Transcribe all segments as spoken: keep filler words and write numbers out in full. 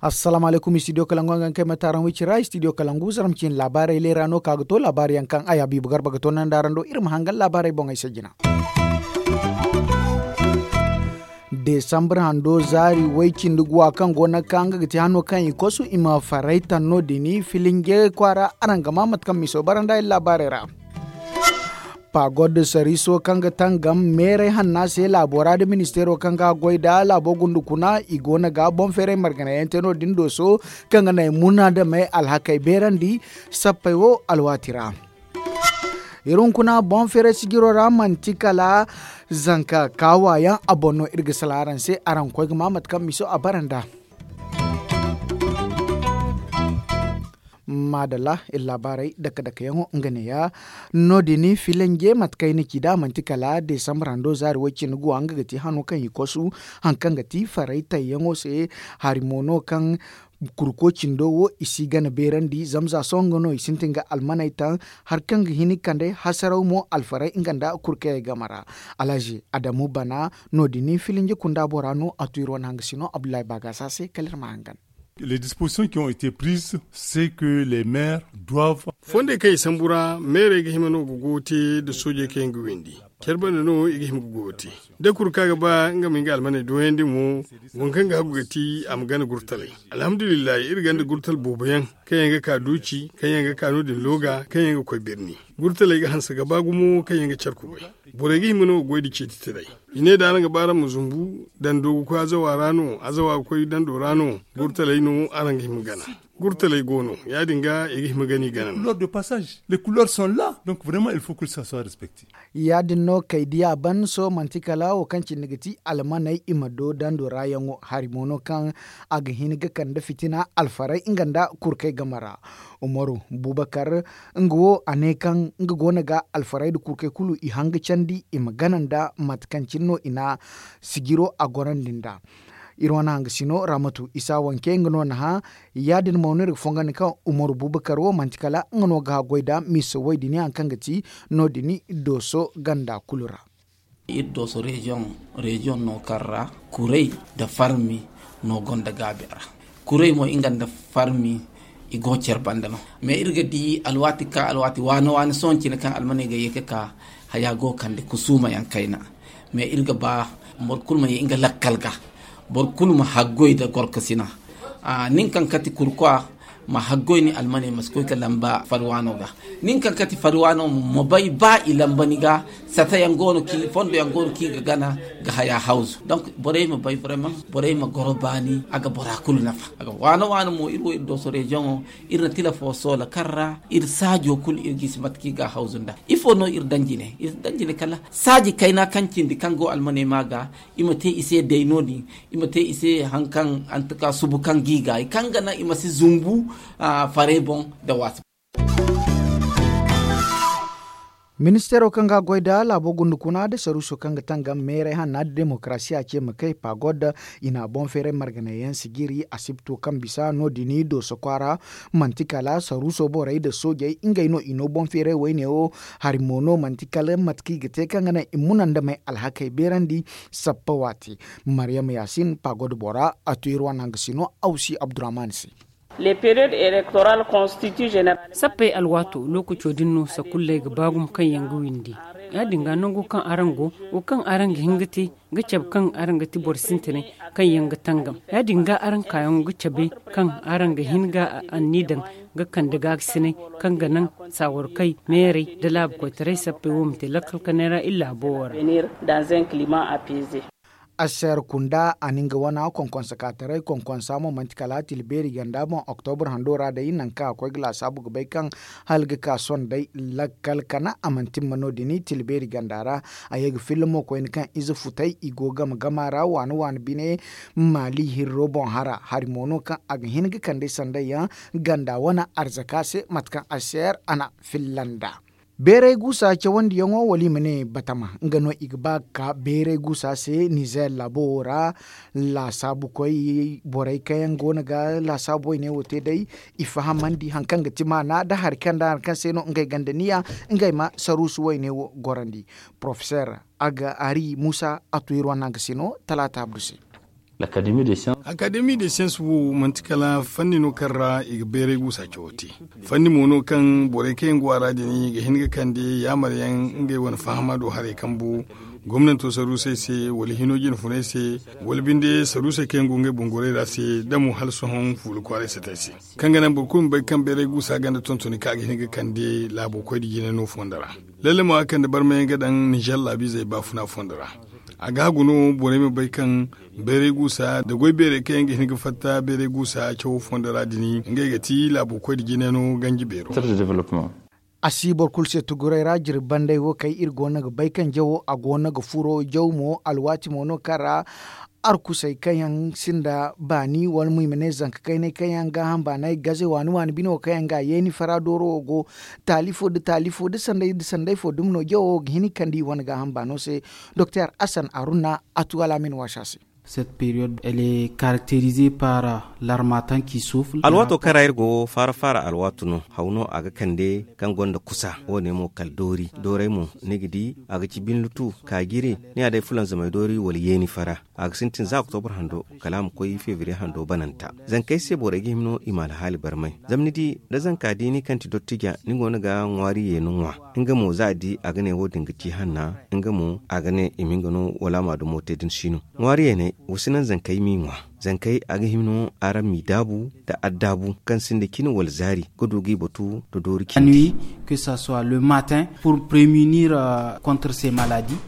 Assalaamu alaykum, istidiyo kalangu a ga nga kay mate araŋ wicira istidiyo kalangu zaram cine laabaarey leera no ka ga to laabaari yaŋ kaŋ ay habiibu garba ga to nanda araŋ do iri ma hangan laabaarey boŋey se jina. Desambar hando zaari way cindi guwa kaŋ go no ga ka nga ga ti hano kaŋ i kosu i ma faray taŋ no- din filinje kwaara araŋ ga ma mate kaŋ miso bara nda iri laabaarey ra. Pagod sariiso kaŋ ga tangam meeray hanna se laabo ra nda ministeero kaŋ ga goy nda laabo gundukuna i go no ga boŋ feeray margana yaŋ te no- din dooso kaŋ ga naŋ ay muna nda may alhakey beerandi sappey wo alwaati ra. Iri hunkuna boŋ feeray sijiro ra manti kala zanka kaawa yaŋ a boŋ no iri ga sala araŋ se araŋ ga koy ga ma mate kaŋ miso a bara nda. Maadalla iri laabaarey dake dake yaŋo nga neeya. No- din filanje mate kaŋ ay na ci nd'a manti kala desambar hando zaari way cindi guwa nga ga ti hano kaŋ i kosu hari kaŋ ga ti faray tayyaŋo se. Hari mo no kaŋ kurko cindo wo i si gana beerandi zama za sohõ nga no i sintin ga almaney taŋ hari kaŋ ga hin ga kande hasaraw mo alfaray nga nda kurkayey game ra. Alhazi adamu bana no- din filinje kunda bora no a tu iri wane hanga sino abdullahi baagasa se kala iri ma hangan. Les dispositions qui ont été prises, c'est que les maires doivent. Fondey kaŋ i sambu ra meerey ga hima no ga goyo te nda soojey kaŋ yaŋ ga windi care banda no i ga hima ga goyo te. Da kulu kaŋ a ga ba nga ma nga almaney dooyandi mo, waŋ kaŋ ga hagu ga ti a ma gana gurtaley. Alhamdulillahi iri gonda gurtal boobo yaŋ kaŋ yaŋ ga ka duuci kaŋ yaŋ ga ka no- din looga kaŋ yaŋ ga koy birni. Gurtaley ga hanse ga ba gumo kaŋ yaŋ ga care kubay. Borey ga hima no ga goy nda ceeti taray. I ne da araŋ ga ba araŋ ma zumbu dando ga koy azawa ra no azawa ga koy dando ra no gurtaley no araŋ ga hima gana. Gurtaley go no ya- din ga i ga hima gana i gana. Couleurs de passage les couleurs sont là donc vraiment il faut que ça soit respecté. Ya- din no kay di a ban sohõ manti kala wo kaŋ cindi ga ti almaney i ma do dando ra yaŋo hari mo no kaŋ a ga hin ga kande fitina alfaray nga nda kurkey game ra. Umaru bubakar nga wo a ne kaŋ nga go no ga alfaray nda kurkey kulu i hanga candi i ma gana nda mate kaŋ cine no i na sijiro a gorandi nda. Iri wane hanga sino ramatu isa wanke nga no na hã. Ya- din mo no iri ga fongandi kaŋ umaru bubakar wo manti kala nga no ga haggoy nda miisa way din hari kaŋ ga ti no- din dooso ganda kulu ra. Iri dooso reziyoŋ no kaŋ ra kuray nda farmi no gonda gaabi a ra. Kuray mo nga nda farmi i go care banda no. Mais iri ga di alwaati ka alwaati waani waani sohõ cine kaŋ almaney ga ye ga ka haya go ga kande kusuuma yaŋ kayna. Mais iri ga ba boro kulu ma ye nga lakkal ga boro kulu ma haggoy nda gorkasina. Nin kaŋ kati kurkwa ma haggoy ni almaney ma si koy ga lamba fari waano ga. Nin kaŋ kati fari waano ma bay ba i lamba ni ga sata yaŋ go no kaŋ i ga gana ga haya hawzu donc borey ma bay vraiment borey ma goro baani a ga bora kulu nafa. Waano waano mo iri wo iri dooso reziyoŋo iri na tila fo soola kaŋ ra iri saajo kulu iri ga i si mate kaŋ i ga a hawzu nda ifo no iri daŋ jine iri si daŋ jine kala saaji kayna kaŋ cindi kaŋ go almaney ma ga i ma te i se day no- din i ma te i se hari kaŋ antuka subu kaŋ ga i ga i kaŋ ga naŋ i ma si zumbu farey boŋ nda waasi. Ministeero kaŋ ga a goy nda laabo gundukuna nda saruuso kaŋ ga tangam meeray hanna nda demokarasiya ce ma kay pagod i na boŋ feeray marganay yaŋ sijiri asibto kaŋ bisa no- din dooso kwaara. Manti kala saruuso borey nda soojey ngey no i no boŋ feeray wayne wo. Hari mo no manti kala mate kaŋ i ga te kaŋ ga naŋ i muna nda may alhakey beerandi. Sappa waati maryam yaasin pagod bora a to iri wane hanga sino awsi abdurahman se. Sappey alwaato lookaco din no sakulley ga ba gumo kaŋ yaŋ ga windi. Ya- din ga nango kaŋ araŋ go wo kaŋ araŋ ga hin ga te ga cabe kaŋ araŋ ga ti boro sintinay kaŋ yaŋ ga tangam ya- din ga araŋ kaayaŋo ga cabe kaŋ araŋ ga hin ga anni daŋ ga kande gaakasinay kaŋ ga naŋ saawarkey meerey nda laabu koytaray sappey wo ma te lakkal kanay ra iri laabo wo ra. Aser kunda a na nga wana konkonsa ka taray konkonsa mo manti kala tila beeri ganda boŋ oktobur hando ra day nangu kaŋ a koy ga laasaabu ga bay kaŋ hala ga ka sohõ day lakkal kana a mana timma no- din tila beeri ganda ra. A ye ga filla mo koyne kaŋ ize futay i go game gama ra waani waani bine maali hirro boŋ hara hari mo no kaŋ a ga hin ga kande sanday yaŋ ganda wane arzaka se mate kaŋ aser a na filla nd'a. Beeray guusa cawandiyaŋo wala i ma ne batama nga no i ga ba ga ka beeray guusa se nizeer laabo wo ra. Laasaabukoy borey kaŋ yaŋ go no ga laasaabu wayne wo te day, i fahamandi hari kaŋ ga ti maana nda hari kaŋ se no ngey gonda niya ngey ma saruusu wayne wo gorandi. Porofeseer aga ari muusa a tu iri wane nangu se no talaata abdu se. Akademi de siyans wo manti kala fanni no kaŋ ra i ga beeray guusa cawo te. Fanni mo no kaŋ borey kaŋ yaŋ go a ra din ga hin ga kande yaamar yaŋ ngey wane fahama do haray kambu gomnanto saruusey se wala hino jinfuney se, wala binde saruusey kaŋ yaŋ go ngey boŋ goray ra se da mo hala sohõ fuula kwaaray satey se. Kaŋ ga naŋ boro kulu ma bay kaŋ beeray guusa ganda tontoni kaŋ a ga hin ga kande laabo koy nda jine no fondo ra. Lalle mo a kande barmayaŋ ga daŋ nizer laabiizey baafuna fondo ra. A ga hagu no borey ma bay kaŋ beeray guusa nda goy beerey kaŋ yaŋ ga hin ga fatta beeray guusa cawo fondo ra din ngey ga ti laabo koy nda jine no ganji beero. A si boro kulu se tuguray ra jirbi banday wo kay iri go no ga bay kaŋ jawo a go no ga furo jaw mo alwaati mo no kaŋ ra arkusey kaŋ yaŋ sinda baani wala mo i ma ne zanka kaynay kaŋ yaŋ gaaham baanay gaze waani waani bine wo kaŋ yaŋ ga a yeeni fara dooro wo go. Taali fo nda taali fo nda sanday nda sanday fo dumi no jawo wo ga hin ga kande i wane gaaham baano se. Doktor asan aruna a tu alaamin waasa se. Cette période elle est caractérisée par l'armatan qui souffle. Alwaato kaŋ ra iri go faara faara alwaatu no haw no a ga kande kaŋ gonda kusa wo- ne mo kala doori dooray mo ni ga di a ga ci binlutu kaajiri ni a day fulanzamay doori wala yeeni fara. A ga sintin za oktobur hando kala a ma koy febriye hando bananta. Zankey se borey ga hima no i ma alhaali barmay zama ni di da zanka diini kaŋ ti dottija ni go no ga ŋwaari yeeni ŋwa. Nga mo za a di a ga ne wo- din ga ci hanna nga mo a ga ne i ma nga no wala a ma dumo te da ni si no. Ŋwaari yeeney wa si naŋ zankey m'i ŋwa. Zankey a ga hima no araŋ m'i daabu nda addaabu kaŋ sinda cine wala zaari ga du g'i batu nda doori cindi. Nuit, que ça soit le matin pour prémunir contre ces maladies.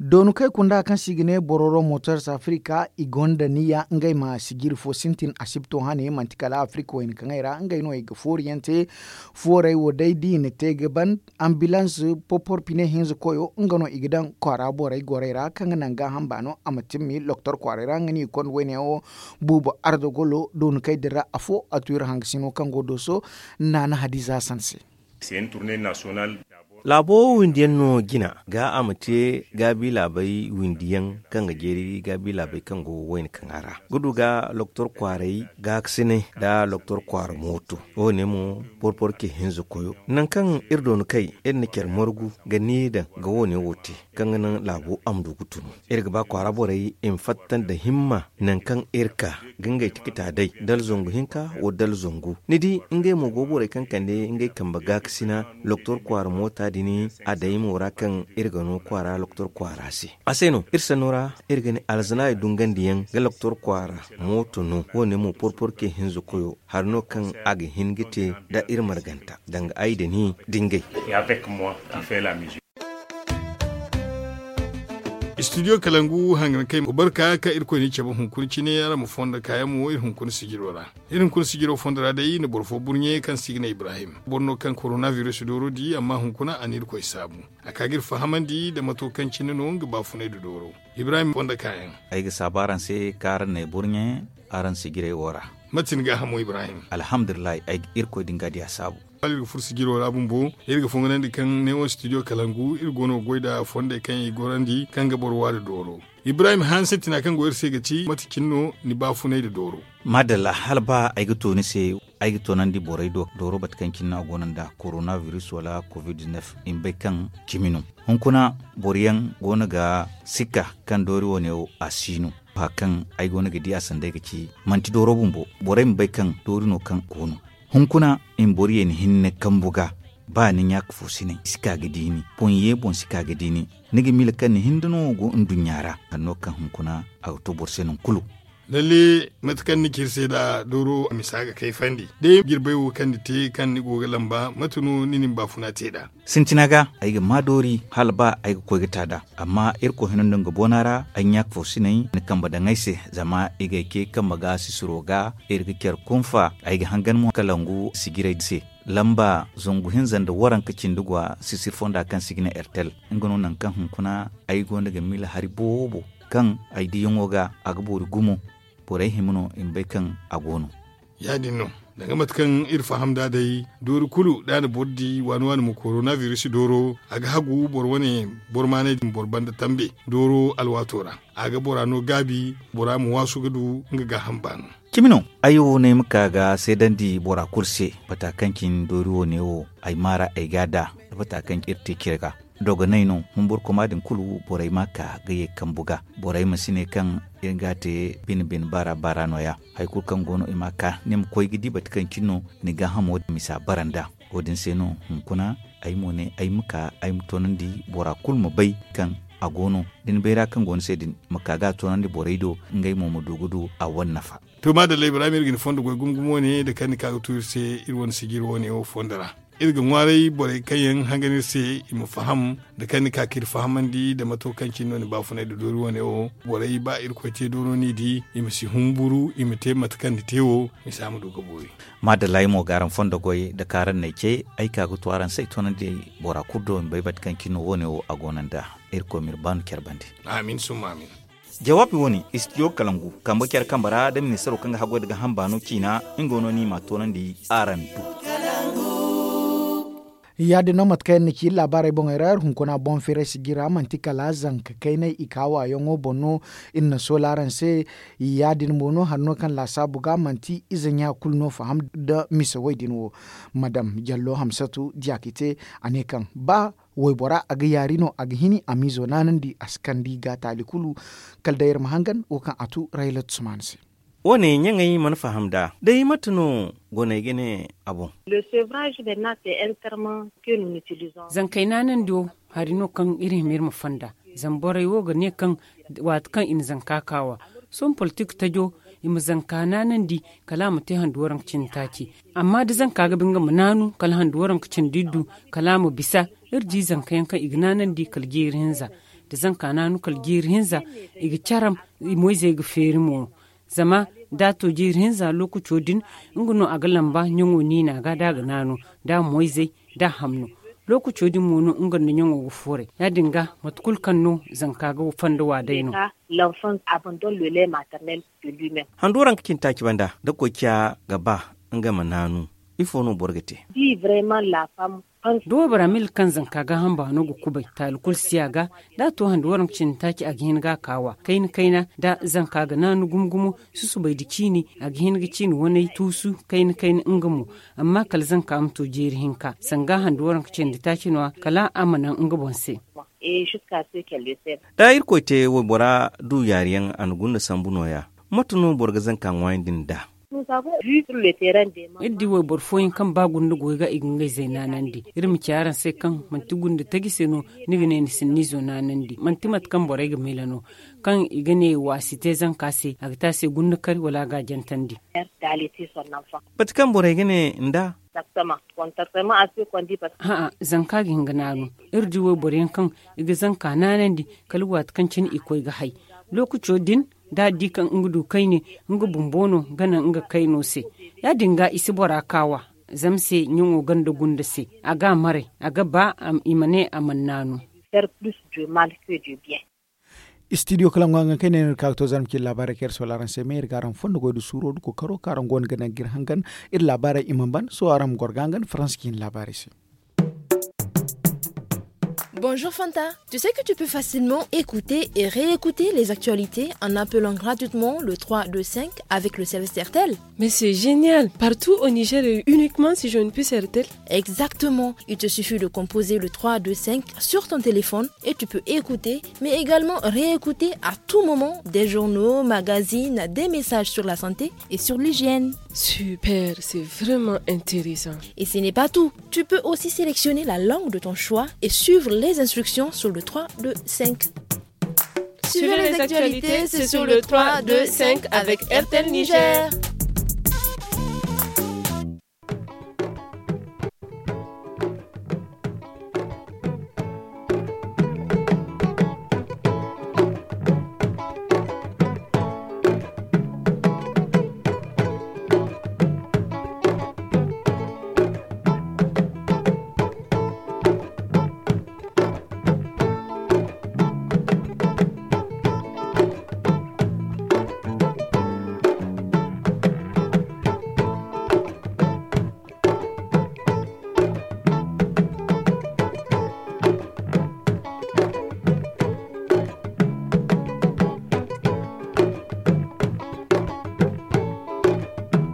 Doonu kaŋ ay kunda kaŋ se i ga ne bororo motors africa i gonda niya ngey ma sijiri fo sintin asibto hane manti kala africa wayna kaŋ ay ra ngey no i ga fooriyaŋ te. Foorey wo day da i na te ga ban ambilans popor pine hinza koyo nga no i ga daŋ kwaara borey gorey ra kaŋ ga naŋ gaaham baano a ma timmi loktor kwaaray ra nga no i ga konda wayne yaŋ wo. Buubo ardagolo doonu kaŋ ay dira afo a tu iri hangasino kaŋ go dooso naana hadiza sanse. Laabo wo windiyaŋ no jina ga a ma te gaabi laabey windiyaŋ kaŋ ga jeeri gaabi laabey kaŋ go wayna kaŋa ra ga du ga loktor kwaaray gaakasinay nda loktor kwaara mooto. Wo- ne mo porporke hinza koyo nangu kaŋ iri doonu kay iri na care margu ga ni daŋ ga wo- ne wo te kaŋ ga naŋ laabo a ma du ga tunu. Iri ga ba kwaara borey i ma fatta nda himma nangu kaŋ iri ka ga ngey tikita day dala zangu hinka wala dala zangu ni di ngey mo go borey kaŋ kande ngey kambe gaakasina loktor kwaara moota din a day mo ra kaŋ iri ga no kwaara loktor kwaara se. A se no iri sanno ra iri ga ne alzanaari dungandiyaŋ ga loktor kwaara mooto no wo- ne mo porporke hinza koyo hari no kaŋ a ga hin ga te nda iri marganta danga ay da ni da ngey. Istidiyo kalangu hangan kay barka kaŋ irkoy ni cabe hunkuna cine araŋ ma fondo kaayaŋ mo iri hunkuna sijiro ra. Iri hunkuna sijiro fondo ra day na boro fo burɲe kaŋ se i ga ne ibrahim boro no kaŋ korona virus dooro di amma hunkuna a na irkoy saabu. A ka ga iri fahamandi nda mato kaŋ cine no nga baafunay nda dooro. Ibrahim fondo kaayaŋ. Ay ga saabu araŋ se kaŋ araŋ n'ay burɲe araŋ sijirey wo ra. Mate ni gaahamo ibrahim? Alhamdulillahi ay ga irkoy din ga diya saabu. Iri ga furo sijiro ra bumbo iri ga fonganandi kaŋ ne wo studio kalangu iri go no ga goy nda fondey kaŋ i gorandi kaŋ ga boro waari dooro. Ibrahim hanse tina kaŋ go iri se ga ci mate cine no ni baafunay nda dooro? Madalla hala ba ay ga to ni se ay ga toonandi borey do dooro mate kaŋ cine no a go no nda korona virus wala covid-19 i ma bay kaŋ cimi no. Hunkuna boro yaŋ go no ga sikka kaŋ doori wane wo a si no. Fa kaŋ ay go no ga di a sanda ay ga ci manti dooro bumbo. Borey ma bay kaŋ doori no kaŋ go no. Hunkuna i ma boro yeeni hinne kambu ga ba ni ɲaaka fo si naŋ si ka ga diini boŋ ye boŋ si ka ga diini. Ni ga miila kaŋ ni hinda no go nduɲɲa ra sanno kaŋ hunkuna a ga to boro se nangu kulu. Lalle mate kaŋ ni ci iri se nda dooro a misa ga kayfandi day jirbey wo kaŋ ni te kaŋ ni go ga lamba mate no ni na ni baafuna te nd'a? Sintina ga ay ga maa doori hala ba ay ga koy ga ta nd'a. Amma irkoy hino nda nga boona ra ay ɲaaka fo si naŋ ni kambe daŋ ay se zama i ga ay ce kambe ga sisiro ga iri ga care kunfa ay ga hangan mo kalangu sijirey se. Lamba zangu hinza nda waranka cindi gwa sisir fonda kaŋ se i ga ne ertel nga no nangu kaŋ hunkuna ay gonda ga miila hari boobo kaŋ ay diyaŋo ga a ga boori gumo. Borey hima no i ma bay kaŋ a go no. Ya- din no. Danga mate kaŋ iri faham nd'a day, doori kulu da a na boro di waani waani ma korona virus dooro, a ga hagu boro wane boro maanay din boro banda tambe dooro alwaato ra. A ga bora no gaabi bora ma waasu ga du nga gaaham baano. Cimi no. Ay wo no ay ma ka ga seedandi bora kulu se bata kaŋ cine doori wo ne wo, ay maara ay ga a da bata kaŋ iri te cire ga. Dogonay no humburkoma din kulu borey ma ka ga ye kambu ga. Borey ma si ne kaŋ iri ga a te bine bine baara baara no- ya. Hari kulu kaŋ go no i ma ka ni ma koy ga di bata kaŋ cine no ni gaahamo din misa bara nd'a. Wo- din se no hunkuna ay mo ne ay ma ka ay ma toonandi bora kulu ma bay kaŋ a go no. Da ni bayra kaŋ go ni se din ma ka ga a toonandi borey do, ngey mo ma du ga du a wane nafa. To maadalla ibrahim iri ga ni fondo goy gumo gumo ne da kaŋ ni ka ga tu iri se iri wane sijiri wo- ne wo fondo ra. Iri ga ŋwaaray borey kaŋ yaŋ hangan iri se i ma faham da kaŋ ni ka ka iri fahamandi da mato kaŋ cine no ni baafunay da doori wo- ne wo. Borey ba irkoy te dooro no i di i ma si humburu i ma te mate kaŋ ni te wo, misa ma du ga boori. Maadalla ay mo ga araŋ fondo goy da kaŋ araŋ n'ay ce ay ka ga tu araŋ se ay toonandi bora kulu do i ma bay mate kaŋ cine no wo- ne wo a go no nd'a. Irkoy ma iri baanu care bande. Amin summa amin. Jawaabi wo- ne istidiyo kalangu kambe care kambe ra da ministaro kaŋ ga haggoy da gaaham baano ciina. Nga no ni ma a toonandi araŋ do. Ya- din no mate kaŋ yaŋ na ci iri laabaarey boŋey ra iri hunkuna boŋ firay sijira manti kala zanka kaynay i ka waayaŋo boŋ no. Iri na soola araŋ se. Ya- din mo no hari no kaŋ laasaabu ga manti ize ɲa kulu no faham da mise wo- din wo. Madam jallo hamsatu diya ka i te a ne kaŋ ba waybora a ga yaari no a ga hini a m'izo naanandi a si kande i ga taali kulu. Kala day iri ma hangan wo kaŋ a tu raylat sumaana se. Wo- ne ɲaŋey mana faham nd'a day mate no goney ga ne a boŋ. Zankey naanandi wo hari no kaŋ iri hima iri ma fonda. Zama borey wo ga ne kaŋ waati kaŋ i na zanka kaawa sohõ politik tajo i ma zanka naanandi kala a ma te handu waranka cindi taaci. Amma da zanka ga ba nga ma naanu kala handu waranka cindi iddu kala a ma bisa. Iri di zanka yaŋ kaŋ i ga naanandi kala jeeri hinza da zanka naanu kala jeeri hinza i ga caram. Moyzey ga feeri mo zama da a to jeeri hinza lookaco din nga no a ga lamba ɲaŋo niina ga da a ga naanu da moyzey da a hamno. Lookaco din mo no nga nda ɲaŋo ga fooray ya- din ga mate kulu kaŋ no zanka ga fonda wa day no. Handu waranka cindi taaci banda da koy ciya ga ba nga ma naanu ifo no boro ga te? Da waybora milla kaŋ zanka gaaham baano ga kubay taali kulu si a ga da a to handu waranka cindi taaci a ga hin ga a kaawa kayna kayna da zanka ga naanu gumo gumo. Susubay nda ciini a ga hin ga ciini waney tuusu kayna kayna nga mo. Amma kala zanka ma to jeeri hinka sanga handu waranka cindi taaci no- ya kala a ma naŋ nga boŋ se. Da irkoy te waybora du yaari yaŋ a na gunda sambu no- ya mate no boro ga zanka ŋwaayandi nd'a? Iri di wayboro fooyaŋ kaŋ ba gunda goy ga i ga ngey zey naanandi. Iri ma ci araŋ se kaŋ manti gunda taji se no ni ga ne ni si ni izo naanandi manti mate kaŋ borey ga miila no kaŋ i ga ne wa si te zanka se a ga te a se gunda kari wala a ga a jantandi. Mate kaŋ borey ga ne nd'a? Hã'ã zanka ga hin ga naanu. Iri di wayboro yaŋ kaŋ i ga zanka naanandi kala waati kaŋ cine i koy ga hay. Lookaco din da a di kaŋ nga du kayne nga bumbo no ga naŋ nga kayno se. Ya- din ga i si bora kaawa zama se ɲaŋo ganda gunda se a ga a maray a ga ba i ma ne a mana naanu. Istidiyo kala ŋwa ga kayne no iri ka ga to zarma cine laabaarey kaŋ iri soola araŋ se me iri ga araŋ fondo goy nda suuro nda kookaro kaŋ araŋ go no ga naŋ ga iri hangan. Iri laabaarey i mana ban sohõ araŋ ma goro ga hangan faransa cine laabaarey se. Bonjour Fanta. Tu sais que tu peux facilement écouter et réécouter les actualités en appelant gratuitement le trois deux cinq avec le service RTL. Mais c'est génial. Partout au Niger et uniquement si je ne puis RTL. Exactement. Il te suffit de composer le trois deux cinq sur ton téléphone et tu peux écouter mais également réécouter à tout moment des journaux, magazines, des messages sur la santé et sur l'hygiène. Super, c'est vraiment intéressant. Et ce n'est pas tout. Tu peux aussi sélectionner la langue de ton choix et suivre les instructions sur le trois deux cinq. Suivez les actualités, c'est sur le trois deux cinq avec RTL Niger.